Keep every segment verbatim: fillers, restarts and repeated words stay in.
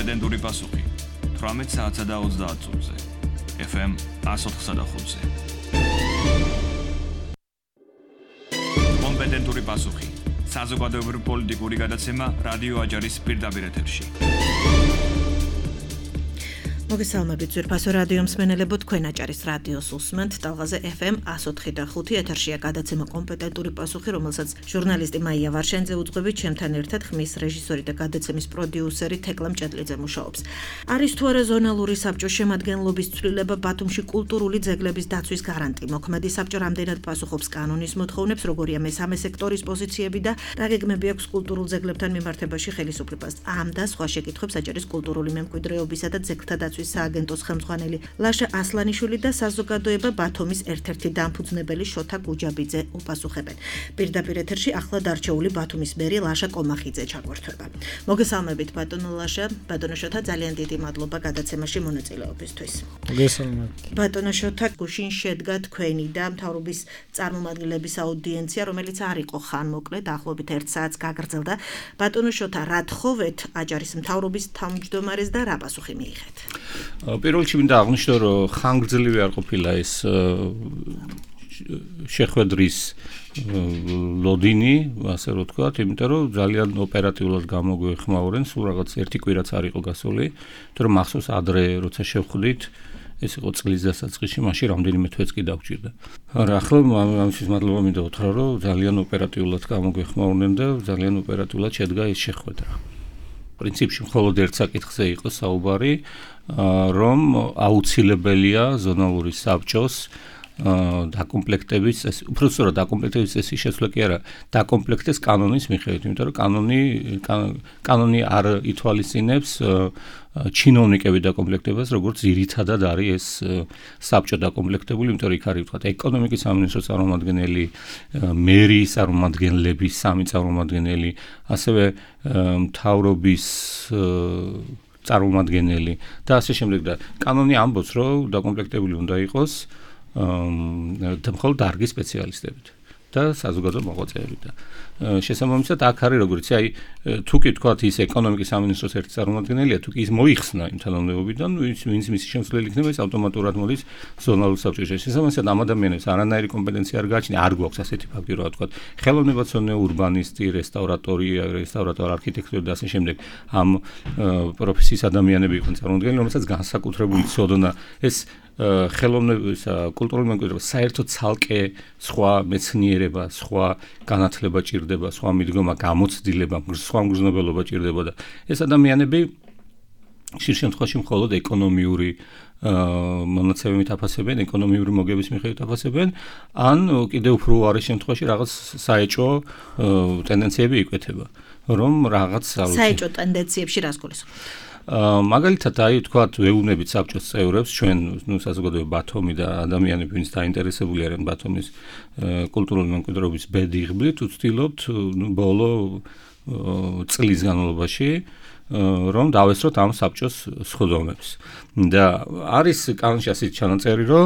კომპეტენტური პასუხი თვრამეტ საათსა და ოცდაათ წუთზე. ეფ ემ εκατო ოთხ და ხუთზე. კომპეტენტური პასუხი. საზოგადოებრივი პოლიტიკური გადაცემა რადიო აჯარის პირდაპირ ეთერში. მოგესალმებით ძვირფასო რადიო მსმენელებო, თქვენ აჭარის რადიოს უსმენთ ტალღაზე ეფ ემ εκατო ოთხ და ხუთი ეთერშია გადაცემა კომპეტენტური პასუხი, რომელსაც ჟურნალისტი მაია ვარშენძე უძღვებით, ჩემთან ერთად ხმის რეჟისორი და გადაცემის პროდიუსერი თეკლა მჭედლიძე მუშაობს. არის თუ არა ზონალური საბჭოს შემადგენლობის ცვლილება ბათუმში კულტურული ძეგლების დაცვის გარანტი? მოქმედი საბჭო რამდენად პასუხობს კანონის მოთხოვნებს, როგორია მესამე სექტორის პოზიციები და რა გეგმები აქვს კულტურულ ძეგლებთან მიმართებაში ხელისუფლებას? ამ და სხვა შეკითხვებს აჭარის კულტურული მემკვიდრეობისა და ძეგლთა სააგენტოს ხელმძღვანელი ლაშა ასლანიშვილი და საზოგადოება ბათუმის ერთ-ერთი დამფუძნებელი შოთა გუჯაბიძე უპასუხებენ. პირდაპირ ეთერში ახლა დარჩეული ბათუმის მერი ლაშა კომახიძე ჩაგვერთვება. მოგესალმებით ბატონო ლაშა, ბატონო შოთა, ძალიან დიდი მადლობა გადაცემაში მონაწილეობისთვის. მოგესალმებით. ბატონო შოთა, გუშინ შედგა თქვენი და მთავრობის წარმომადგენლების აუდიენცია, რომელიც არ იყო ხანმოკლე, დაახლოებით ერთ საათს გაგრძელდა. ბატონო შოთა, რა თხოვეთ აჭარის მთავრობის თავმჯდომარეს და რა პასუხი მიიღეთ? პირველ რიგში მინდა აღნიშნო, რომ ხანგრძლივი არ ყოფილა ეს შეხვედრის ლოდინი, ასე რომ ვთქვათ, იმიტომ რომ ძალიან ოპერატიულად გამოგვეხმაურენ, სულ რაღაც ერთი კვირაც არ იყო გასული, იმიტომ რომ მახსოვს ადრე როცა შევხვდით, ეს იყო წლის დასაწყისში, მაშინ რამდენიმე თვეც კი დაგვჭირდა. არა, ახლა ამისთვის მადლობა მინდა უთხრა, რომ ძალიან ოპერატიულად გამოგვეხმაურნენ და ძალიან ოპერატიულად შედგა ეს შეხვედრა. პრინციპში მხოლოდ ერთ საკითხზე იყო საუბარი, რომ აუცილებელია ზონალური საბჭოს დაკომპლექტების, უბრალოდ დაკომპლექტების წესი შეცვლა კი არა, დაკომპლექტეს კანონის მიხედვით, იმიტომ რომ კანონი კანონი არ ითვალისწინებს ჩინოვნიკების დაკომპლექტებას, როგორც ძირითადად არის ეს საბჭო დაკომპლექტებული, იმიტომ რომ იქ არის ვთქვათ ეკონომიკის სამინისტროს წარმომადგენელი, მერის წარმომადგენლების სამი წარმომადგენელი, ასევე მთავრობის წარმომადგენელი და ასე შემდეგ და კანონი ამბობს, რომ დაკომპლექტებული უნდა იყოს და მხოლოდ დარგის სპეციალისტებით და საზოგადო მოღვაწეებით და შესაბამისად აქ არის როგორც აი თუ კი თქვათ ის ეკონომიკის სამინისტროს ერთი წარმომადგენელია, თუ კი ის მოიხსნა იმ თანამდებობიდან, ვინც მისი შემცვლელი იქნება, ის ავტომატურად მოდის ზონალურ საბჭოში. შესაბამისად ამ ადამიანებს არანაირი კომპეტენცია არ გააჩნია, არ გვაქვს ასეთი ფაქტი, რომ თქვათ ხელოვნებაცოდნე, ურბანისტი, რესტავრატორი, რესტავრატორ, არქიტექტორი და ასე შემდეგ ამ პროფესიის ადამიანები იყვნენ წარმომადგენლები, რომელსაც განსაკუთრებული ცოდნა ეს ხელოვნებისა, კულტურული მემკვიდრეობა საერთოდ ცალკე სხვა მეცნიერება, სხვა განათლება ჭირდება, სხვა მიდგომა, გამოცდილება, სხვა მგრძნობელობა ჭირდება და ეს ადამიანები ხშირ შემთხვევაში მხოლოდ ეკონომიური მონაცემებით აფასებენ, ეკონომიური მოგების მიხედვით აფასებენ, ან კიდევ უფრო უარეს შემთხვევაში რაღაც საეჭვო ტენდენციები იკვეთება, რომ რაღაც საეჭვო ტენდენციებში რას გულისხმობთ? მაგალითად, აი თქვათ, ვეუბნებით საბჭოს წევრებს, ჩვენ, ნუ საზოგადოება ბათუმი და ადამიანები, ვინც დაინტერესებული არიან ბათუმის კულტურული მემკვიდრეობის ბედიღბლით, ვცდილობთ, ნუ ბოლო წლის განმავლობაში რომ დავესწროთ ამ საბჭოს სხდომებს. და არის კანონში ასეთი ჩანაწერი, რომ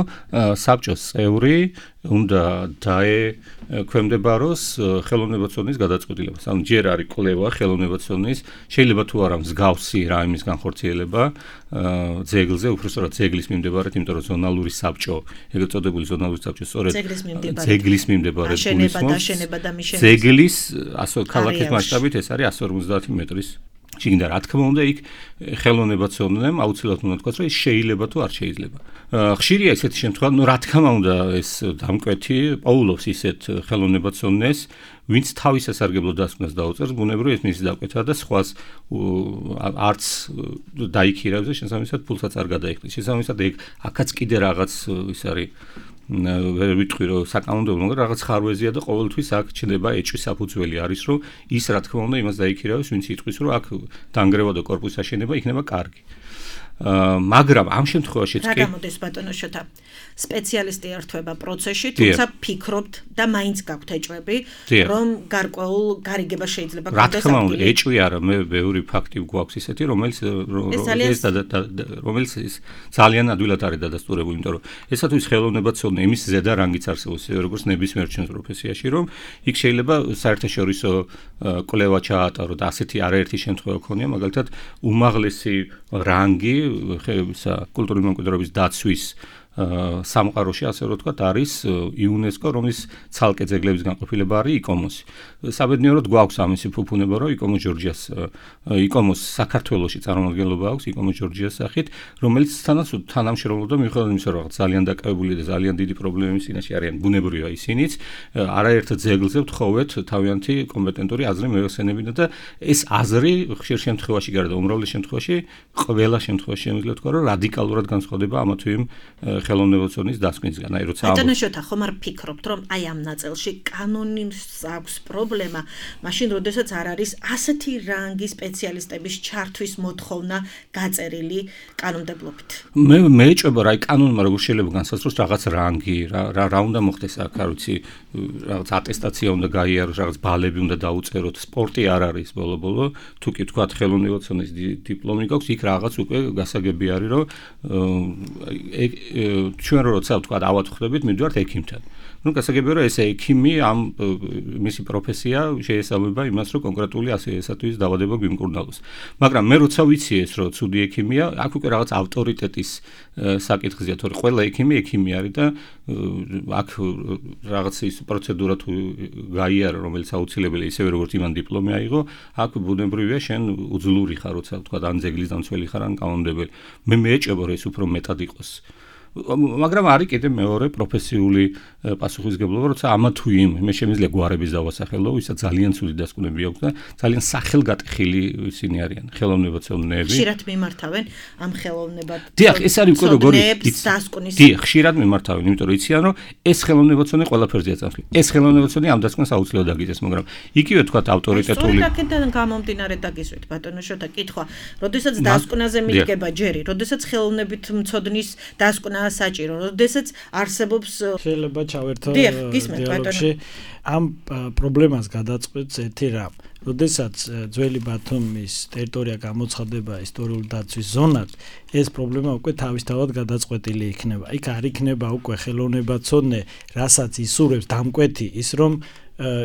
საბჭოს წევრი უნდა დაექვემდებაროს ხელოვნებაცოდნის გადაწყვეტილებას. ანუ ჯერ არის კვლევა ხელოვნებაცოდნის, შეიძლება თუ არა მსგავსი რაიმის განხორციელება ძეგლზე, უბრალოდ ძეგლის მიმდებარედ, იმიტომ რომ ზონალური საბჭო, ეგრეთ წოდებული ზონალური საბჭო სწორედ ძეგლის მიმდებარედ გულისხმობს. ძეგლის ქალაქის მასშტაბით ეს არის εκατო ორმოცდაათი მეტრის შიგნით. რა თქმა უნდა, იქ ხელოვნებაცოდნემ აუცილებლად უნდა თქვას, რომ ის შეიძლება თუ არ შეიძლება. ხშირია ესეთი შემთხვევა, ну რა თქმა უნდა, ეს დამკვეთი პოულობს ისეთ ხელოვნებაცოდნეს, ვინც თავის სასარგებლო დასკვნას დაუწერს, ბუნებრივია ეს მისი დაკვეთა და სხვას არც დაიქირავებს და შესაბამისად ფულსაც არ გადაიხდის. შესაბამისად ეგ აქაც კიდე რაღაც ის არის ვერ ვიტყვი რომ საკანონმდებლო, მაგრამ რაღაც ხარვეზია და ყოველთვის აქ ჩნდება ეჭვის საფუძველი არის, რომ ის რა თქმა უნდა იმას დაიქირავებს, ვინც იტყვის, რომ აქ დანგრევა და კორპუსის აშენება იქნება კარგი. მაგრამ ამ შემთხვევაშიც კი რა გამოდის ბატონო შოთა სპეციალისტი ერთვება პროცესში, თუმცა ფიქრობთ და მაინც გაქვთ ეჭვები, რომ გარკვეულ გარიგება შეიძლება გქონდეს. რა თქმა უნდა, ეჭვი არა, მე ბევრი ფაქტი გვაქვს ისეთი, რომელიც ეს რომელიც ძალიან ადვილად არის დადასტურებული, იმიტომ რომ ესათვის ხელოვნებაცოდნე იმის ზედა რანგიც არსებობს, როგორც ნებისმიერ ჩვენს პროფესიაში, რომ იქ შეიძლება საერთაშორისო კვლევა ჩაატარო და ასეთი არაერთი შემთხვევა ქონია, მაგალითად, უმაღლესი რანგი კულტურული მემკვიდრეობის დაცვის სამყაროში ასე რომ ვთქვათ არის იუნესკო, რომლის ცალკე ძეგლების განყოფილება არის იკომოსი. საბედნიეროდ გვაქვს ამისი ფუფუნება, რომ იკომოს ჯორჯიას იკომოს საქართველოში წარმომადგენლობა აქვს იკომოს ჯორჯიას სახით, რომელიც თანამშრომლობდა მიუხედავად იმისა, რომ ძალიან დაკავებული და ძალიან დიდი პრობლემების წინაშე არიან, ბუნებრივია ისინიც, არაერთ ძეგლზე ვთხოვეთ თავიანთი კომპეტენტური აზრი მოეხსენებინა და ეს აზრი ხშირ შემთხვევაში გარდა უმრავლეს შემთხვევაში, ყველა შემთხვევაში შემიძლია ვთქვა, რომ რადიკალურად განსხვავდება ამა თუ იმ ხელოვნებაცოდნის დასკვნისგან, აი როცა ბატონო შოთა, ხომ არ ფიქრობთ, რომ აი ამ ნაწილში კანონის აქვს პრობლემა, მაშინ როდესაც არ არის ასეთი რანგის სპეციალისტების ჩართვის მოთხოვნა გაწერილი კანონმდებლობით? მე მეეჭვება, რა, აი კანონმა როგორ შეიძლება განსაზღვროს რაღაც რანგი, რა რა უნდა მოხდეს აქ, არ ვიცი, რაღაც ატესტაცია უნდა გაიაროს, რაღაც ბალები უნდა დაუწეროთ, სპორტი არ არის ბოლო-ბოლო, თუ კი თქვათ ხელოვნებაცოდნის დიპლომი გაქვს, იქ რაღაც უკვე გასაგები არის, რომ ჩვენ როცა ვთქვათ ავად ხვდებით, მივდივართ ექიმთან. ნუ გასაგებია რომ ეს ექიმი ამ მისი პროფესია შეესაბამება იმას, რომ კონკრეტული ასეისათვის დაავადება გვიმკურნალოს. მაგრამ მე როცა ვიცი ეს, რომ ცუდი ექიმია, აქ უკვე რაღაც ავტორიტეტის საკითხია, თორე ყველა ექიმი ექიმი არის და აქ რაღაც ის პროცედურა თუ გაიარა, რომელიც აუცილებელია, ისევე როგორც იმან დიპლომი აიღო, აქ ბუნებრივია შენ უძლური ხარ, როცა ვთქვათ ან ძეგლის დამცველი ხარ, ან კანონმდებელი. მე მეეჭვება რომ ეს უფრო მეტად იყოს. მაგრამ არის კიდე მეორე პროფესიული პასუხისგებლობა, როცა ამა თუ იმ მე შემიძლია გვარების დავასახელო, ვისაც ძალიან ცუდი დასკვნები აქვს და ძალიან სახელგატეხილი ისინი არიან, ხელოვნებაცოდნეები. ხშირად მიმართავენ ამ ხელოვნებად. დიახ, ეს არის უკვე როგორი დასკვნის. დიახ, ხშირად მიმართავენ, იმიტომ რომ იციან, რომ ეს ხელოვნებაცოდნე ყველაფერზეა წამსვლი. ეს ხელოვნებაცოდნე ამ დასკვნას აუცილებლად დაგიძეს, მაგრამ იგივე თქვა ავტორიტეტული. სწორედ აქედან გამომდინარე დაგისვით, ბატონო შოთა, კითხვა, როდესაც დასკვნაზე მიდგება ჯერი, როდესაც ხელოვნებით მცოდნის დასკვნა საჭირო, როდესაც არსებობს შეიძლება ჩავერთო დიალოგში ამ პრობლემას გადაწყვეტს ერთი რამ. როდესაც ძველი ბათუმის ტერიტორია გამოცხადება ისტორიული დაცვის ზონად, ეს პრობლემა უკვე თავისთავად გადაწყვეტილი იქნება. იქ არ იქნება უკვე ხელოვნებაცოდნე, რასაც ისურვებს დამკვეთი ის რომ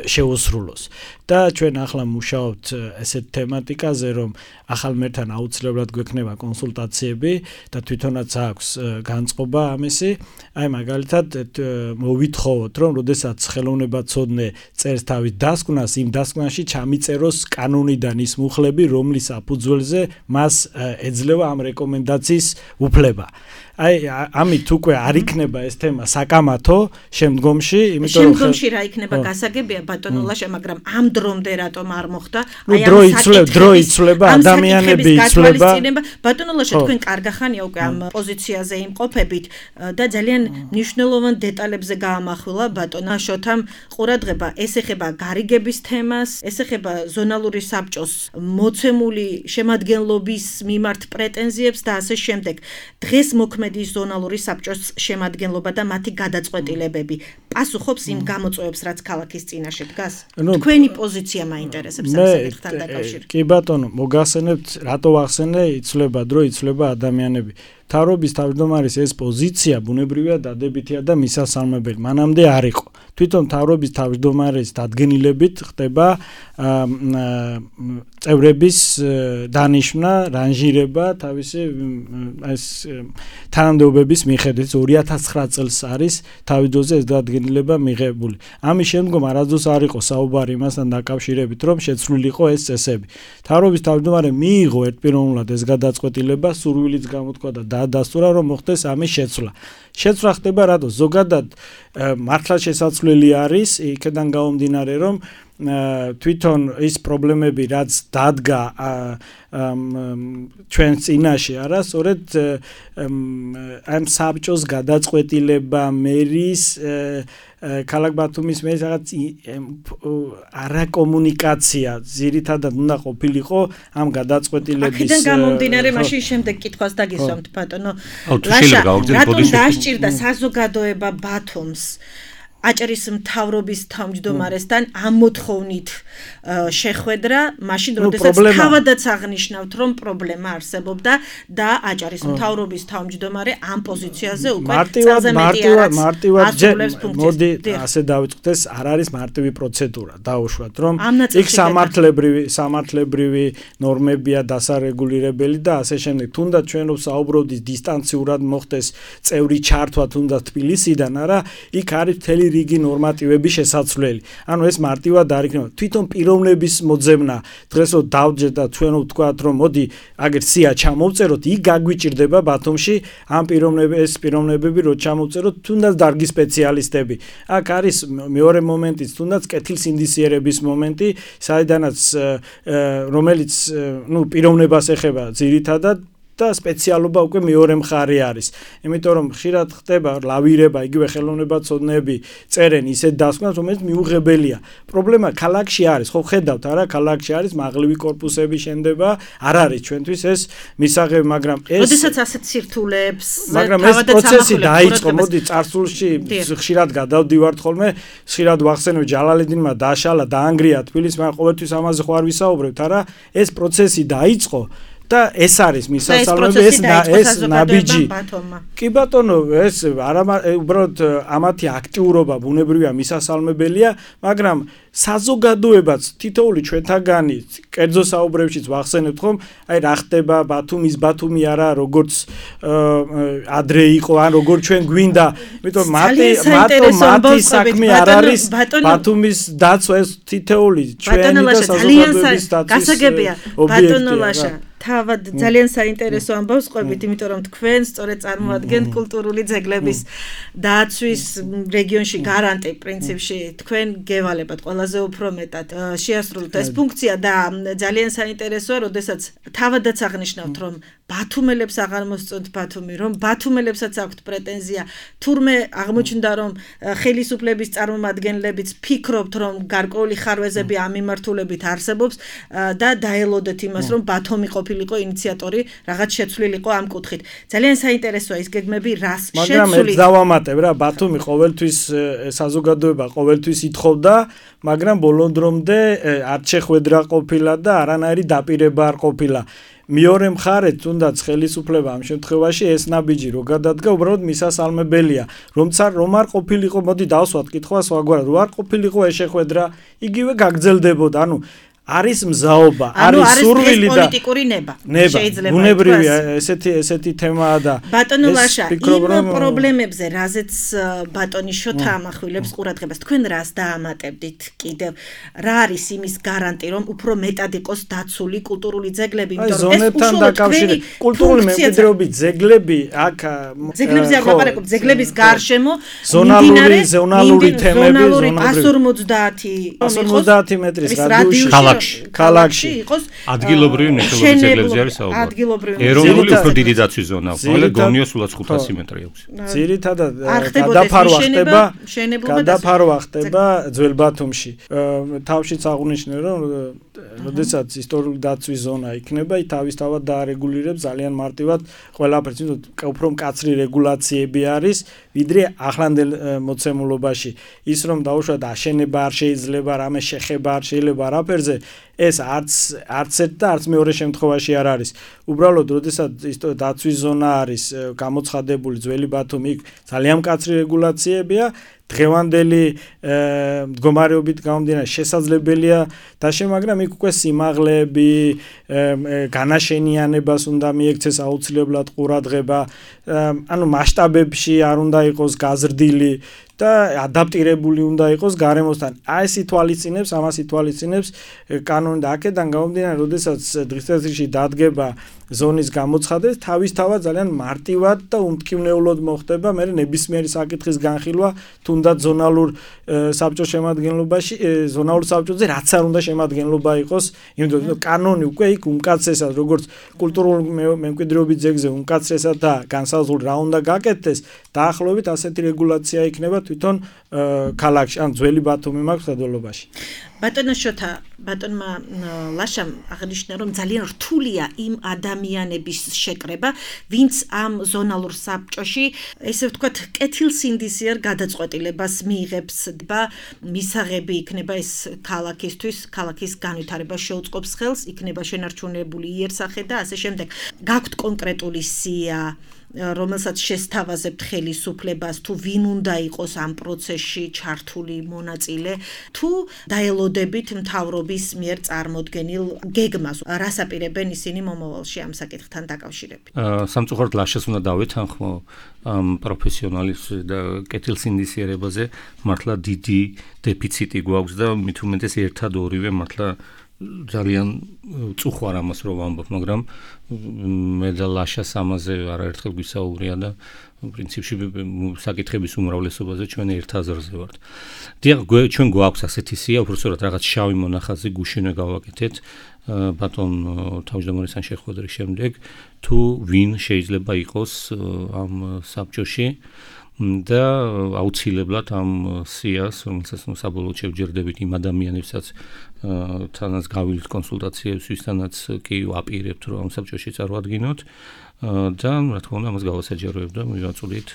შეუსრულოს. და ჩვენ ახლა მუშაობთ ესეთ თემატიკაზე, რომ ახალ მერთან აუცილებლად გვექნება კონსულტაციები და თვითონაც აქვს განწყობა ამისი. აი მაგალითად მოვითხოვოთ, რომ როდესაც ხელოვნებაცოდნე წერს თავის დასკვნას, იმ დასკვნაში ჩამიწეროს კანონიდან ის მუხლები, რომლის საფუძველზე მას ეძლევა ამ რეკომენდაციის უფლება. აი ამით უკვე არ იქნება ეს თემა საკამათო შემდგომში, იმიტომ რომ შემდგომში რა იქნება გასაგებია ბატონო ლაშა, მაგრამ ამ დრომდე რატომ არ მოხდა? აი ამ საკითხი დრო იცვლება, ადამიანები იცვლება. ბატონო ლაშა, თქვენ კარგახანია უკვე ამ პოზიციაზე იმყოფებით და ძალიან მნიშვნელოვან დეტალებზე გაამახვილა ბატონო შოთამ ყურადღება. ეს ეხება გარიგების თემას, ეს ეხება ზონალური საბჭოს მოცემული შემადგენლობის მიმართ პრეტენზიებს და ასე შემდეგ. დღეს მოქმედი ზონალური საბჭოს შემადგენლობა და მათი გადაწყვეტილებები პასუხობს იმ გამოწვევებს, რაც ქალაქის წინაშე დგას? თქვენი პოზიცია მაინტერესებს ამ საკითხთან დაკავშირებით. კი ბატონო, მოგახსენებთ, რატო ვახსენე, იცვლება დრო, იცვლება ადამიანები. თავრობის თავმჯდომარის ეს პოზიცია ბუნებრივია დადებითია და მისასალმებელი. მანამდე არ იყო. თვითონ თავრობის თავმჯდომარის დადგენილებით ხდება წევრების დანიშვნა, რანჟირება თავისი ეს თანამდებობების მიხედვით ორი ათას ცხრა წელს არის თავიდანვე ეს დადგენილება მიღებული. ამის შემდგომ არასდროს არ იყო საუბარი იმასთან დაკავშირებით, რომ შეცვლილი იყო ეს წესები. თავრობის თავმჯდომარე მიიღო ერთპიროვნულად ეს გადაწყვეტილება, სურვილიც გამოთქვა და დაადასტურა, რომ მოხდეს ამის შეცვლა. შეცვლა ხდება რატო? ზოგადად მართლა შესაძლებელი არის იქიდან გამომდინარე, რომ თვითონ ის პრობლემები რაც დადგა ჩვენს წინაშე არა სწორედ ამ საბჭოს გადაწყვეტილება მერის ქალაქ ბათუმის მერის რაღაც არაკომუნიკაცია ძირითადად უნდა ყოფილიყო ამ გადაწყვეტილების აქედან გამომდინარე მაშინ შემდეგ კითხვას დაგისვამთ ბატონო ლაშა რატომ დასჭირდა საზოგადოება ბათუმს აჭარის მთავრობის თავმჯდომარესთან ამ მოთხოვნით შეხვედრა, მაშინ როდესაც თავადაც აღნიშნავთ, რომ პრობლემა არსებობდა და აჭარის მთავრობის თავმჯდომარე ამ პოზიციაზე უკვე წელზე მეტი არასრულებს ფუნქციას. მოდი ასე დავიწყოთ, ეს არ არის მარტივი პროცედურა, დაუშვათ, რომ იქ სამართლებრივი სამართლებრივი ნორმებია დასარეგულირებელი და ასე შემდეგ. თუნდაც ჩვენ რომ საუბრობთ დისტანციურად მოხდეს წევრი ჩართვა თუნდაც თბილისიდან, არა, იქ არის მთელი რიგი ნორმატივები შესაძლებელი. ანუ ეს მარტივად არ იქნება. თვითონ პიროვნების მოძებნა დღეს რომ დავჯერ და ჩვენ ვთქვათ რომ მოდი აგერ სია ჩამოვწეროთ, იქ გაგვიჭირდება ბათუმში ამ პიროვნების ეს პიროვნებები რო ჩამოვწეროთ, თუნდაც დარგის სპეციალისტები. აქ არის მეორე მომენტიც, თუნდაც კეთილსინდისიერების მომენტი, საიდანაც რომელიც ნუ პიროვნებას ეხება ძირითადად და სპეციალობა უკვე მეორე მხარე არის. იმიტომ რომ ხშირად ხდება ლავირება, იგივე ხელოვნებაცოდნეები წერენ ისეთ დასკვნას, რომელიც მიუღებელია. პრობლემა ქალაქში არის, ხო ხედავთ არა, ქალაქში არის მაღლივი კორპუსები შენდება, არ არის ჩვენთვის ეს მისაღები, მაგრამ ეს როდესაც ასეთ სირთულეებს მაგრამ ეს პროცესი დაიწყო, მოდი წარსულში ხშირად გადავდივართ ხოლმე, ხშირად ვახსენებ ჯალალედინმა დაშალა, დაანგრია თბილისს, მაგრამ ყოველთვის ამაზე ხო არ ვისაუბრებთ, არა? ეს პროცესი დაიწყო და ეს არის მისასალმები ეს ეს ნაბიჯი კი ბატონო ეს არა უბრალოდ ამათი აქტიურობა ბუნებრივია მისასალმებელია მაგრამ საზოგადოებაც თითოეული ჩვენთაგანი კერძო საუბრებშიც ვახსენებთ ხომ აი რა ხდება ბათუმის ბათუმი არა როგორც ადრე იყო ან როგორც ჩვენ გვინდა იმიტომ მათი მათო მათი საქმე არ არის ბათუმის დაცვა ეს თითოეული ჩვენი და საზოგადოების დაცვის ობიექტია თავად ძალიან საინტერესო ამბავს ყვებით, იმიტომ რომ თქვენ სწორედ წარმოადგენთ კულტურული ძეგლების დაცვის რეგიონში გარანტი პრინციპში თქვენ გევალებათ ყველაზე უფრო მეტად შეასრულოთ ეს ფუნქცია და ძალიან საინტერესოა, როდესაც თავადაც აღნიშნავთ, რომ ბათუმელებს აღარ მოსწონთ ბათუმი, რომ ბათუმელებსაც აქვთ პრეტენზია, თურმე აღმოჩნდა, რომ ხელისუფლების წარმომადგენლებიც ფიქრობთ, რომ გარკვეული ხარვეზები ამ მიმართულებით არსებობს და დაელოდეთ იმას, რომ ბათუმი ყოფილიყო ინიციატორი, რაღაც შეცვლილიყო ამ კუთხით. ძალიან საინტერესოა ის გეგმები, რას შეცვლით. მაგრამ ეს დავამატებ რა, ბათუმი ყოველთვის საზოგადოება ყოველთვის ითხოვდა, მაგრამ ბოლო დრომდე არ შეხვედრა ყოფილა და არანაირი დაპირება არ ყოფილა. მეორე მხარეს თუნდაც ხელისუფლება ამ შემთხვევაში ეს ნაბიჯი რო გადადგა უბრალოდ მისასალმებელია რომცა რომ არ ყოფილიყო მოდი დავსვათ კითხვას სხვაგვარად რო არ ყოფილიყო ეს შეხვედრა იგივე გაგრძელდებოდა ანუ არის მზაობა, არის სურვილი და პოლიტიკური ნება. შეიძლება ბუნებრივია ესეთი ესეთი თემაა და ბატონო ლაშა, იმ პრობლემებზე, რაზეც ბატონი შოთა ამახვილებს ყურადღებას, თქვენ რას დაამატებდით კიდევ? რა არის იმის გარანტი, რომ უფრო მეტად იყოს დაცული კულტურული ძეგლები, იმიტომ რომ ეს უშუალოდ კულტურული მემკვიდრეობის ძეგლები აქ ძეგლებზე არ ვაპარაკობ, ძეგლების გარშემო ზონალური ზონალური თემები, ზონალური ას ორმოცდაათი ორმოცდაათი მეტრის რადიუსი ქალაქში იყოს ადგილობრივი მნიშვნელობის ძეგლებზე არის საუბარი. ადგილობრივი ეროვნული უფრო დიდი დაცვის ზონა, ხოლმე გონიო სულაც ხუთასი მეტრი აქვს. ძირითადად გადაფარვა ხდება, გადაფარვა ხდება ძველ ბათუმში. თავშიც აღნიშნე რომ როდესაც ისტორიული დაცვის ზონა იქნება, თავისთავად დაარეგულირებს ძალიან მარტივად ყველაფერს, უფრო მკაცრი რეგულაციები არის, ვიდრე ახლანდელ მოცემულობაში. ის რომ დაუშვათ აშენება არ შეიძლება, რამე შეხება არ შეიძლება არაფერზე ეს არც არც ერთ და არც მეორე შემთხვევაში არ არის. უბრალოდ, როდესაც ის დაცვის ზონა არის გამოცხადებული ძველი ბათუმი, იქ ძალიან მკაცრი რეგულაციებია, დღევანდელი მდგომარეობით გამომდინარე შესაძლებელია დაშე, მაგრამ იქ უკვე სიმაღლეები, განაშენიანებას უნდა მიექცეს აუცილებლად ყურადღება, ანუ მასშტაბებში არ უნდა იყოს გაზრდილი და ადაპტირებული უნდა იყოს გარემოსთან. აი ეს ითვალისწინებს, ამას ითვალისწინებს კანონი და აქედან გამომდინარე, როდესაც დღესდღეში დადგება ზონის გამოცხადეს, თავისთავად ძალიან მარტივად და უმტკივნეულოდ მოხდება მე ნებისმიერი საკითხის განხილვა თუნდაც ზონალურ საბჭოს შემადგენლობაში, ზონალურ საბჭოზე რაც არ უნდა შემადგენლობა იყოს, იმიტომ რომ კანონი უკვე იქ უმკაცრესად როგორც კულტურულ მემკვიდრეობის ძეგლზე უმკაცრესად და განსაზღვრული რა უნდა გაკეთდეს, დაახლოებით ასეთი რეგულაცია იქნება თვითონ ქალაქში, ან ძველი ბათუმი მაქვს სადოლობაში. ბატონო შოთა, ბატონმა ლაშამ აღნიშნა, რომ ძალიან რთულია იმ ადამიანების შეკრება, ვინც ამ ზონალურ საბჭოში, ესე ვთქვათ, კეთილსინდისიერ გადაწყვეტილებას მიიღებს და მისაღები იქნება ეს ქალაქისთვის, ქალაქის განვითარებას შეუწყობს ხელს, იქნება შენარჩუნებული იერსახე და ასე შემდეგ. გაქვთ კონკრეტული სია, რომელსაც შესთავაზებთ ხელისუფლებას, თუ ვინ უნდა იყოს ამ პროცესში ჩართული მონაწილე, თუ დაელოდებით მთავრობის მიერ წარმოდგენილ გეგმას, რას აპირებენ ისინი მომავალში ამ საკითხთან დაკავშირებით. სამწუხაროდ ლაშას უნდა დავეთანხმო ამ პროფესიონალის და კეთილსინდისიერებაზე, მართლა დიდი დეფიციტი გვაქვს და მით უმეტეს ერთად ორივე მართლა ძალიან წუხვარ ამას რომ ვამბობ, მაგრამ მე და ლაშას ამაზე არაერთხელ გვისაუბრია და პრინციპში საკითხების უმრავლესობაზე ჩვენ ერთ აზრზე ვართ. დიახ, ჩვენ გვაქვს ასეთი სია, უბრალოდ რაღაც შავი მონახაზი გუშინვე გავაკეთეთ ბატონ თავმჯდომარის შეხვედრის შემდეგ, თუ ვინ შეიძლება იყოს ამ საბჭოში და აუცილებლად ამ სიას, რომელსაც საბოლოოდ შევჯერდებით იმ ადამიანებსაც თანაც გავილთ კონსულტაციებს, ვისთანაც კი ვაპირებთ, რომ ამ საბჭოში წარვადგინოთ და რა თქმა უნდა, ამას გავასაჯაროებ და მივაწოდით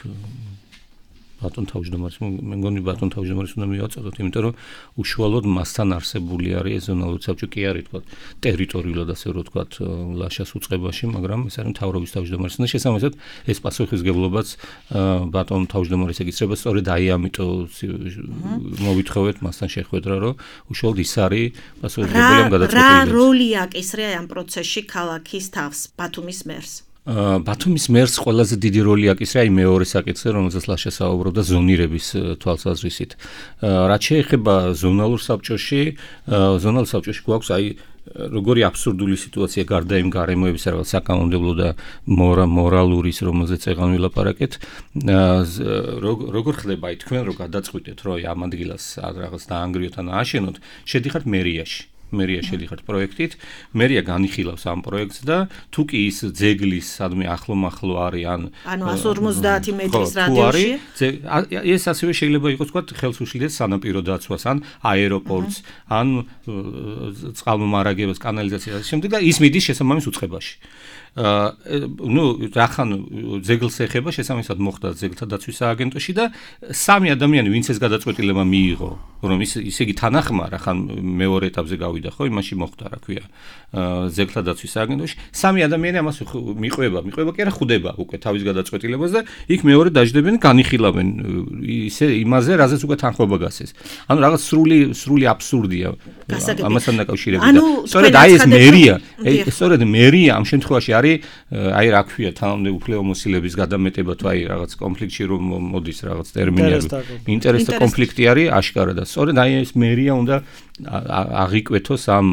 ბატონ თავმჯდომარის, მე მგონი ბატონ თავმჯდომარის უნდა მივაწოდოთ, იმიტომ რომ უშუალოდ მასთან არსებული არის ეს ზონალური საბჭო, კი არის თქვა ტერიტორიულად ასე რომ თქვა ლაშას უწყებაში, მაგრამ ეს არის მთავრობის თავმჯდომარის და შესაბამისად ეს პასუხისგებლობაც ბატონ თავმჯდომარის ეკისრება, სწორედ აი ამიტომ მოვითხოვეთ მასთან შეხვედრა, რომ უშუალოდ ის არის პასუხისგებელი ამ გადაწყვეტილებაზე. რა როლი აკისრია ამ პროცესში ქალაქის თავს, ბათუმის მერს? ბათუმის მერს ყველაზე დიდი როლი აკისრია იმ მეორე საკითხზე, რომელზეც ლაშა საუბრობდა ზონირების თვალსაზრისით. რაც შეეხება ზონალურ საბჭოში, ზონალურ საბჭოში გვაქვს აი როგორი აბსურდული სიტუაცია გარდა იმ გარემოების რაღაც საკანონმდებლო და მორალურის, რომელზეც ეღან ვილაპარაკეთ, როგორ ხდება აი თქვენ რო გადაწყვიტეთ, რომ ამ ადგილას რაღაც დაანგრიოთ ან ააშენოთ, შედიხართ მერიაში. მერია შედიხართ პროექტით, მერია განიხილავს ამ პროექტს და თუ კი ის ძეგლის სადმე ახლო-მახლო არის ან ანუ εκατს ორმოცდაათი მეტრის რადიუსში, ეს ასევე შეიძლება იყოს თქვა ხელს უშლიდეს სანაპირო დაცვას ან აეროპორტს, ან წყალმომარაგებას, კანალიზაციას შემდეგ და ის მიდის შესაბამის უწყებაში. ну, რახან ძეგლს ეხება, შესაბამისად მოხდა ძეგლთა დაცვის სააგენტოში და სამი ადამიანი, ვინც ეს გადაწყვეტილება მიიღო, რომ ის ისე იგი თანახმა, რახან მეორე ეტაპზე გავიდა, ხო, იმაში მოხდა, რა ქვია, ძეგლთა დაცვის სააგენტოში, სამი ადამიანი ამას მიყვება, მიყვება კი არა, ხვდება უკვე თავის გადაწყვეტილებას და იქ მეორე დაждდებენ, განიხილავენ ისე იმაზე, რაზეც უკვე თანხმობა გასცეს. ანუ რაღაც სრული სრული აბსურდია ამასთან დაკავშირებით და სწორედ აი ეს მერია, სწორედ მერია ამ შემთხვევაში აი რა ქვია თანამდებობ უფლებამოსილების გადამეტება თუ აი რაღაც კონფლიქტში რომ მოდის რაღაც ტერმინი არის ინტერესთა კონფლიქტი არის აშკარა და სწორედ აი ეს მერია უნდა აღიკვეთოს ამ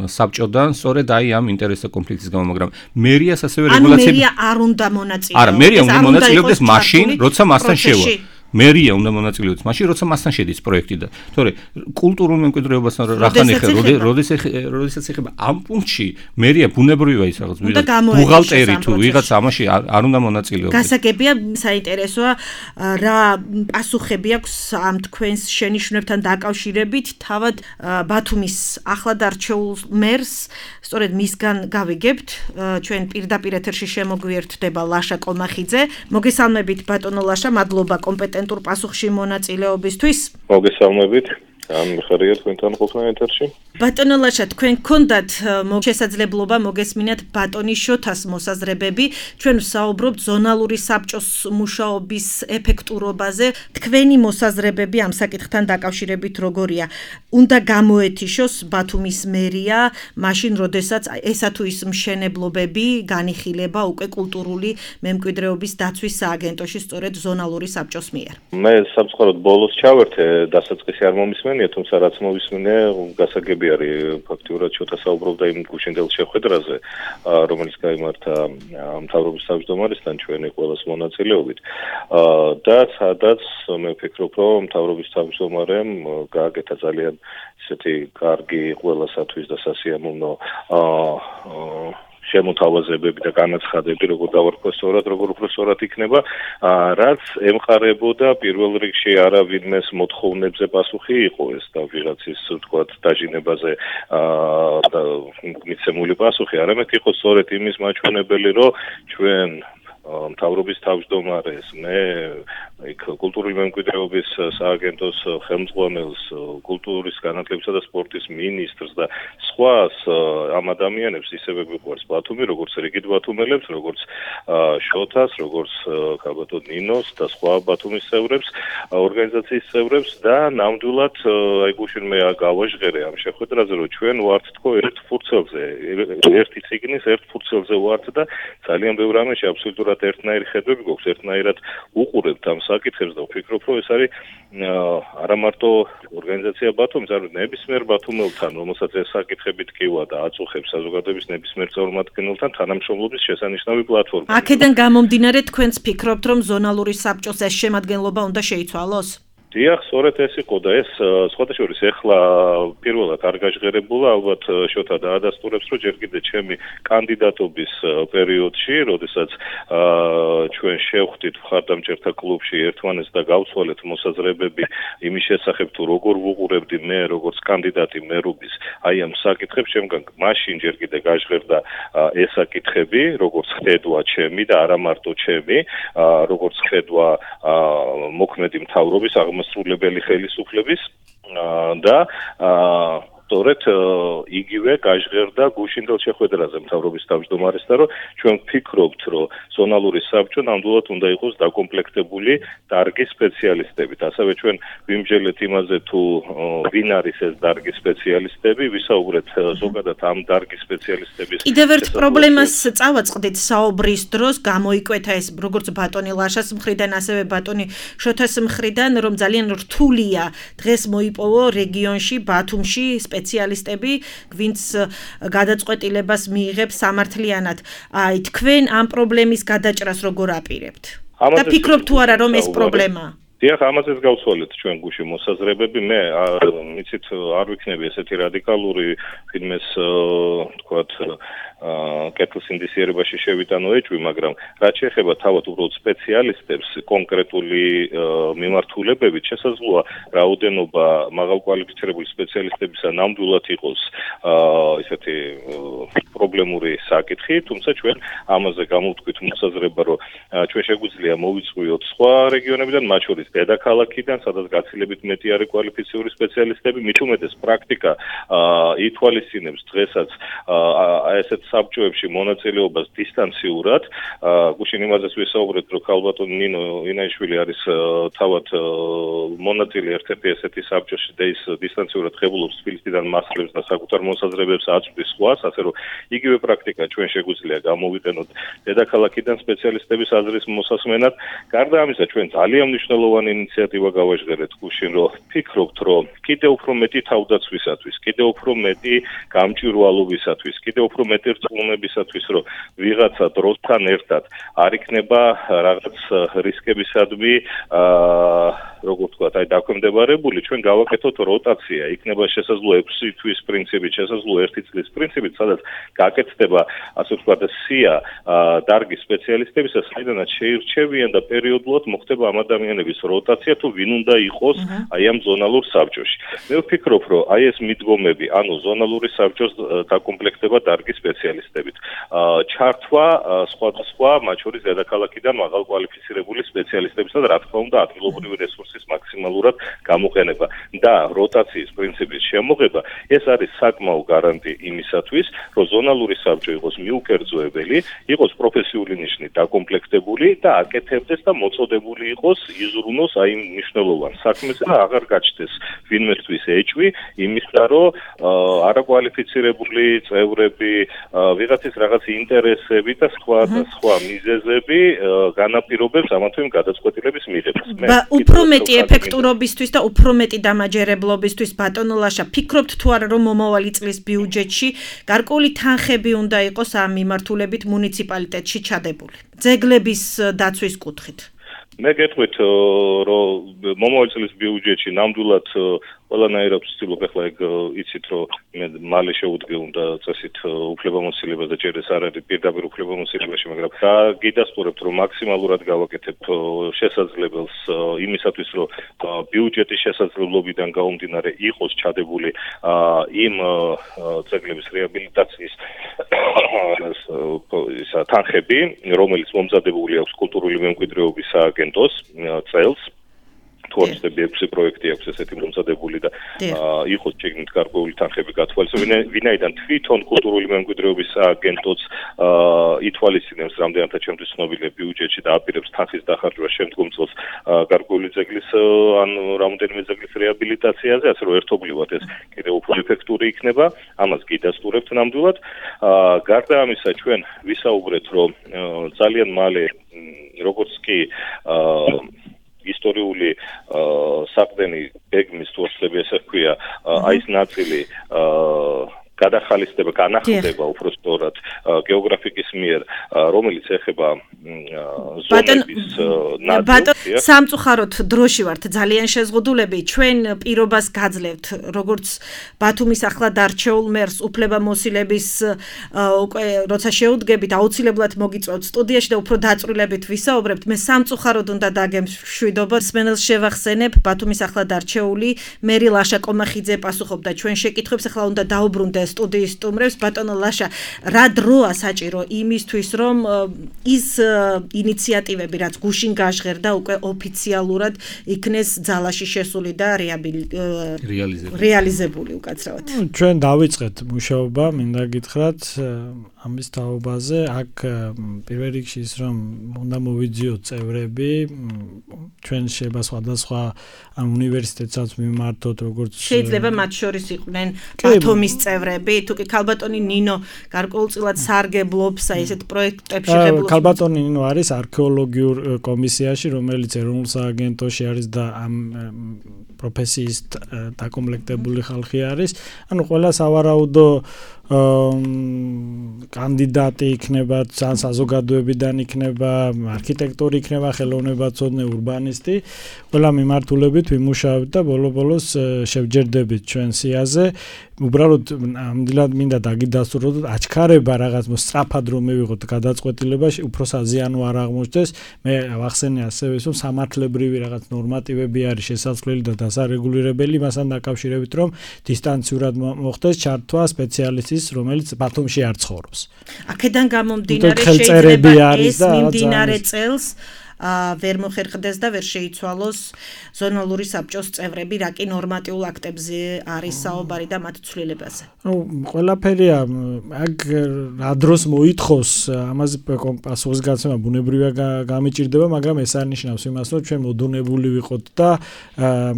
საბჭოდან სწორედ აი ამ ინტერესთა კონფლიქტის გამო, მაგრამ მერიას ასევე რეგულაციები ანუ მერია არ უნდა მონაწილეობდეს. არა, მერია უნდა მონაწილეობდეს მაშინ, როცა მასთან შევა. მერია უნდა მონაწილეობდეს მაშინ, როცა მასთან შედის პროექტი და თორე კულტურულ მემკვიდრეობასთან რახან ეხება, როდესაც ეხება ამ პუნქტში მერია ბუნებრივია ის რაღაც ბუღალტერი თუ ვიღაც ამაში არ უნდა მონაწილეობდეს. გასაგებია, საინტერესოა რა პასუხები აქვს ამ თქვენს შენიშვნებთან დაკავშირებით, თავად ბათუმის ახლად არჩეულ მერს, სწორედ მისგან გავიგებთ, ჩვენ პირდაპირ ეთერში შემოგვიერთდება ლაშა კომახიძე. მოგესალმებით ბატონო ლაშა, მადლობა კომპეტენტ პასუხში მონაწილეობისთვის. მოგესალმებით. ამ ხარია თქვენთან ყოფნა ეთერში. ბატონო ლაშა, თქვენ გქონდათ შესაძლებლობა მოგესმინათ ბატონის შოთას მოსაზრებები, ჩვენ ვსაუბრობთ ზონალური საბჭოს მუშაობის ეფექტურობაზე. თქვენი მოსაზრებები ამ საკითხთან დაკავშირებით როგორია? უნდა გამოეთიშოს ბათუმის მერია, მაშინ როდესაც ესა თუ ის მშენებლობები განიხილება უკვე კულტურული მემკვიდრეობის დაცვის სააგენტოში, სწორედ ზონალური საბჭოს მიერ. მე სამწუხაროდ ბოლოს ჩავერთე, დასაწყისი არ მომისმენ. მშვენია, თუმცა რაც მოვისმინე, გასაგები არის ფაქტიურად შოთა საუბრობდა იმ გუშინდელ შეხვედრაზე, რომელიც გაიმართა მთავრობის თავმჯდომარესთან ჩვენი ყველას მონაწილეობით. და სადაც მე ვფიქრობ, რომ მთავრობის თავმჯდომარემ გააკეთა ძალიან ისეთი კარგი ყველასათვის და სასიამოვნო შემოთავაზებები და განაცხადები, როგორ დავარქვა სწორად, როგორ უფრო სწორად იქნება, რაც ემყარებოდა პირველ რიგში არა ვინმეს მოთხოვნებზე პასუხი იყო ეს და ვიღაცის თქვათ დაჟინებაზე მიცემული პასუხი, არამედ იყო სწორედ იმის მაჩვენებელი, რომ ჩვენ მთავრობის თავმჯდომარეს, მე იქ კულტურული მემკვიდრეობის სააგენტოს ხელმძღვანელს, კულტურის განათლებისა და სპორტის მინისტრს და სხვას ამ ადამიანებს ისევე გვიყვარს ბათუმი, როგორც რიგით ბათუმელებს, როგორც შოთას, როგორც კაბატონ ნინოს და სხვა ბათუმის წევრებს, ორგანიზაციის წევრებს და ნამდვილად აი გუშინ მე გავაჟღერე ამ შეხვედრაზე, რომ ჩვენ ვართ თქო ერთ ფურცელზე, ერთი ციგნის ერთ ფურცელზე ვართ და ძალიან ბევრ რამეში აბსოლუტურად ერთნაირი ხედვები გვაქვს, ერთნაირად უყურებთ ამ საკითხებს და ვფიქრობ, რომ ეს არის არა მარტო ორგანიზაცია ბათუმის, არამედ ნებისმიერ ბათუმელთან, რომელსაც ეს საკითხები ტკივა და აწუხებს საზოგადოების ნებისმიერ წარმომადგენელთან თანამშრომლობის შესანიშნავი პლატფორმა. აქედან გამომდინარე თქვენც ფიქრობთ, რომ ზონალური საბჭოს ეს შემადგენლობა უნდა შეიცვალოს? დიახ, სწორედ ეს იყო და ეს სხვადასხვა ეხლა პირველად არ გაჟღერებულა, ალბათ შოთა დაადასტურებს, რომ ჯერ კიდე ჩემი კანდიდატობის პერიოდში, როდესაც ჩვენ შევხვდით მხარდამჭერთა კლუბში ერთმანეთს და გავცვალეთ მოსაზრებები იმის შესახებ, თუ როგორ ვუყურებდი მე, როგორც კანდიდატი მერობის, აი ამ საკითხებს, შემდგომ მაშინ ჯერ კიდე გაჟღერდა ეს საკითხები, როგორც ხედვა ჩემი და არა მარტო ჩემი, როგორც ხედვა მოქმედი მთავრობის სრულებელი ხელისუფლების და სწორედ იგივე გაჟღერდა გუშინდელ შეხვედრაზე მთავრობის თავმჯდომარესთან, რომ ჩვენ ვფიქრობთ, რომ ზონალური საბჭო ნამდვილად უნდა იყოს დაკომპლექტებული დარგის სპეციალისტებით. ასევე ჩვენ ვიმჯელეთ იმაზე, თუ ვინ არის ეს დარგის სპეციალისტები, ვისაუბრეთ ზოგადად ამ დარგის სპეციალისტების. კიდევ ერთ პრობლემას წავაწყდით საუბრის დროს, გამოიკვეთა ეს როგორც ბატონი ლაშას მხრიდან, ასევე ბატონი შოთას მხრიდან, რომ ძალიან რთულია დღეს მოიპოვო რეგიონში, ბათუმში სპეციალისტები, ვინც გადაწყვეტილებას მიიღებს სამართლიანად. აი, თქვენ ამ პრობლემის გადაჭრას როგორ აპირებთ? და ფიქრობთ თუ არა, რომ ეს პრობლემაა? დიახ, ამაზეც გავცვალეთ ჩვენ გუში მოსაზრებები. მე მიცით არ ვიქნები ესეთი რადიკალური ფილმის თქვათ კეთილს ინდისიერებაში შევიტანო ეჭვი, მაგრამ რაც შეეხება თავად უბრალოდ სპეციალისტებს, კონკრეტული მიმართულებებით შესაძლოა რაოდენობა მაღალკვალიფიცირებული სპეციალისტებისა ნამდვილად იყოს ესეთი პრობლემური საკითხი, თუმცა ჩვენ ამაზე გამოვთქვით მოსაზრება, რომ ჩვენ შეგვიძლია მოვიწვიოთ სხვა რეგიონებიდან, მათ შორის დედაქალაქიდან, სადაც გაცილებით მეტი არის კვალიფიციური სპეციალისტები, მით უმეტეს პრაქტიკა ითვალისწინებს დღესაც ესეთ საბჭოებში მონაწილეობას დისტანციურად. გუშინ იმაზეც ვისაუბრეთ, რომ ქალბატონ ნინო ინაიშვილი არის თავად მონაწილე ერთ-ერთი ესეთი საბჭოში და ის დისტანციურად ღებულობს თბილისიდან მასლებს და საკუთარ მოსაზრებებს აწვდის სხვას, ასე რომ იგივე პრაქტიკა ჩვენ შეგვიძლია გამოვიყენოთ დედაქალაქიდან სპეციალისტების აზრის მოსასმენად. გარდა ამისა, ჩვენ ძალიან მნიშვნელოვანი ინიციატივა გავაჟღერეთ გუშინ, რომ ფიქრობთ, რომ კიდევ უფრო მეტი თავდაცვისათვის, კიდევ უფრო მეტი გამჭვირვალობისათვის, კიდევ უფრო მეტი რწმუნებისათვის, რომ ვიღაცა დროსთან ერთად არ იქნება რაღაც რისკებისადმი როგორ ვთქვათ, აი დაქვემდებარებული, ჩვენ გავაკეთოთ როტაცია, იქნება შესაძლოა ექვსი თვის პრინციპით, შესაძლოა ერთი წლის პრინციპით, სადაც გაკეთდება, ასე ვთქვათ, სია დარგის სპეციალისტებისა, საიდანაც შეირჩევიან და პერიოდულად მოხდება ამ ადამიანების როტაცია, თუ ვინ უნდა იყოს აი ამ ზონალურ საბჭოში. მე ვფიქრობ, რომ აი ეს მიდგომები, ანუ ზონალური საბჭოს დაკომპლექტება დარგის სპეციალისტებით, ჩართვა სხვადასხვა, მათ შორის დედაქალაქიდან მაღალკვალიფიცირებული სპეციალისტებისა და რა თქმა უნდა ადგილობრივი რესურსის მაქსიმალურად გამოყენება და როტაციის პრინციპის შემოღება, ეს არის საკმაო გარანტი იმისათვის, რომ ზონალური საბჭო იყოს მიუკერძოებელი, იყოს პროფესიული ნიშნით დაკომპლექტებული და აკეთებდეს და მოწოდებული იყოს იზრუნოს აი იმ მნიშვნელოვან საქმეს და აღარ გაჩნდეს ვინმესთვის ეჭვი იმისა, რომ არაკვალიფიცირებული წევრები ვიღაცის რაღაც ინტერესები და სხვა და სხვა მიზეზები განაპირობებს ამათვე გადაწყვეტილების მიღებას. მე უფრო მეტი ეფექტურობისთვის და უფრო მეტი დამაჯერებლობისთვის ბატონო ლაშა ფიქრობთ თუ არა რომ მომავალი წლის ბიუჯეტში გარკვეული თანხები უნდა იყოს ამ მიმართულებით მუნიციპალიტეტში ჩადებული ძეგლების დაცვის კუთხით მე გეტყვით რომ მომავალი წლის ბიუჯეტში ნამდვილად ყველანაირად ვცდილობ ახლა ეგ იცით რომ მე მალე შევუდგე უნდა წესით უფლებამოსილებას და ჯერ ეს არ არის პირდაპირ უფლებამოსილებაში მაგრამ გიდასტურებთ რომ მაქსიმალურად გავაკეთებთ შესაძლებელს იმისათვის რომ ბიუჯეტის შესაძლებლობიდან გამომდინარე იყოს ჩადებული იმ ძეგლების რეაბილიტაციის ისა თანხები რომელიც მომზადებული აქვს კულტურული მემკვიდრეობის სააგენტოს წელს თორსები ექვსი პროექტი აქვს ესეთი მომზადებული და იყოს შეგნით გარკვეული თანხები გათვალისწინებული ვინაიდან თვითონ კულტურული მემკვიდრეობის სააგენტოც ითვალისწინებს რამდენადაც ჩემთვის ცნობილია ბიუჯეტში და აპირებს თანხის დახარჯვას შემდგომ წელს გარკვეული ძეგლის ან რამოდენიმე ძეგლის რეაბილიტაციაზე ასე რომ ერთობლივად ეს კიდევ უფრო ეფექტური იქნება ამას გიდასტურებთ ნამდვილად გარდა ამისა ჩვენ ვისაუბრეთ რომ ძალიან მალე როგორც კი ისტორიული საყდენი ბეგმის თორსები ესე ქვია აი ეს ნაწილი გადახალისდება, განახლდება უფრო სწორად გეოგრაფიკის მიერ, რომელიც ეხება ზონების ნაწილს. სამწუხაროდ დროში ვართ ძალიან შეზღუდულები, ჩვენ პირობას გაძლევთ, როგორც ბათუმის ახლად არჩეულ მერს უფლებამოსილების უკვე როცა შეუდგებით, აუცილებლად მოგიწვევთ სტუდიაში და უფრო დაწვრილებით ვისაუბრებთ. მე სამწუხაროდ უნდა დაგემშვიდობა, სმენელს შევახსენებ, ბათუმის ახლად არჩეული მერი ლაშა კომახიძე პასუხობდა ჩვენ შეკითხვებს, ახლა უნდა დაუბრუნდე სტუდიის სტუმრებს ბატონო ლაშა რა დროა საჭირო იმისთვის რომ ის ინიციატივები რაც გუშინ გაჟღერდა უკვე ოფიციალურად იქნეს ძალაში შესული და რეალიზებული უკაცრავად ჩვენ დავიწყეთ მუშაობა მინდა გითხრათ ამის თაობაზე აქ პირველ რიგში ის რომ უნდა მოვიძიოთ წევრები ჩვენ შეიძლება სხვადასხვა ამ უნივერსიტეტსაც მიმართოთ როგორც შეიძლება მათ შორის იყვნენ ბათუმის წევრები თუ კი ქალბატონი ნინო გარკვეულწილად სარგებლობს აი ესეთ პროექტებში ღებულობს ქალბატონი ნინო არის არქეოლოგიურ კომისიაში რომელიც ეროვნულ სააგენტოში არის და ამ პროფესიის დაკომპლექტებული ხალხი არის ანუ ყველა სავარაუდო კანდიდატი იქნება, ან საზოგადოებიდან იქნება, არქიტექტორი იქნება, ხელოვნებაცოდნე, ურბანისტი, ყველა მიმართულებით ვიმუშავებთ და ბოლო-ბოლოს შევჯერდებით ჩვენ სიაზე. უბრალოდ ამდენად მინდა დაგიდასტუროთ, აჩქარება რაღაც სწრაფად რომ მივიღოთ გადაწყვეტილებაში, უფრო საზიანო არ აღმოჩნდეს. მე ვახსენე ასევე, რომ სამართლებრივი რაღაც ნორმატივები არის შესაძლებელი და დასარეგულირებელი, მასთან დაკავშირებით, რომ დისტანციურად მოხდეს ჩართვა სპეციალისტის რომელიც ბათუმში არ ცხოვრობს. აქედან გამომდინარე შეიძლება ეს მიმდინარე წელს ვერ მოხერხდეს და ვერ შეიცვალოს ზონალური საბჭოს წევრები, რა კი ნორმატიულ აქტებზე არის საუბარი და მათ ცვლილებაზე. ნუ ყველაფერია აქ რა დროს მოითხოვს ამაზე პასუხის გაცემა ბუნებრივია გამიჭირდება, მაგრამ ეს არ ნიშნავს იმას, რომ ჩვენ მოდუნებული ვიყოთ და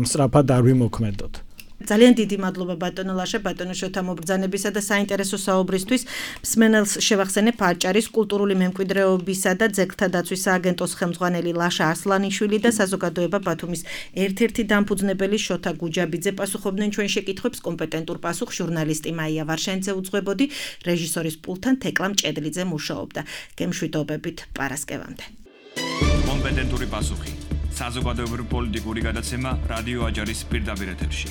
სწრაფად არ ვიმოქმედოთ. ძალიან დიდი მადლობა ბატონო ლაშა, ბატონო შოთა მობრძანებისა და საინტერესო საუბრისთვის. მსმენელს შევახსენებ აჭარის კულტურული მემკვიდრეობისა და ძეგლთა დაცვის სააგენტოს ხელმძღვანელი ლაშა არსლანიშვილი და საზოგადოება ბათუმის ერთ-ერთი დამფუძნებელი შოთა გუჯაბიძე პასუხობდნენ ჩვენ შეკითხვებს, კომპეტენტურ პასუხს ჟურნალისტი მაია ვარშენძე უძღვებოდი, რეჟისორის პულტთან თეკლამ ჭედლიძე მუშაობდა. გემშვიდობებით პარასკევამდე. კომპეტენტური პასუხი. საზოგადოებრივი პოლიტიკური გადაცემა რადიო აჭარის პირდაპირ ეთერში.